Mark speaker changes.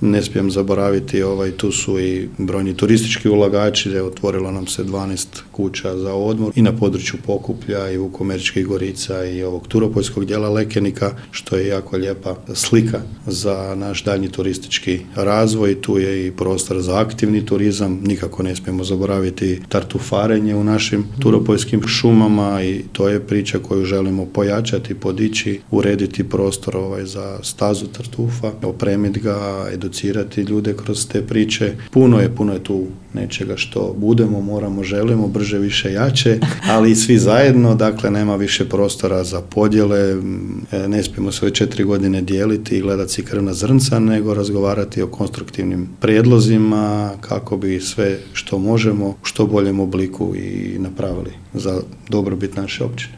Speaker 1: Ne smijem zaboraviti, tu su i brojni turistički ulagači, otvorilo nam se 12 kuća za odmor i na području Pokuplja i Vukomeričkih Gorica i ovog turopoljskog dijela Lekenika, što je jako lijepa slika za naš daljnji turistički razvoj. Tu je i prostor za aktivni turizam, nikako ne smijemo zaboraviti tartufarenje u našim turopoljskim šumama i to je priča koju želimo pojačati, podići, urediti prostor za stazu tartufa, opremiti ga, educirati ljude kroz te priče. Puno je tu nečega što budemo, moramo, želimo, brže, više, jače, ali i svi zajedno, dakle nema više prostora za podjele, ne smijemo sve 4 godine dijeliti i gledati si krvna zrnca, nego razgovarati o konstruktivnim prijedlozima kako bi sve što možemo u što boljem obliku i napravili za dobrobit naše općine.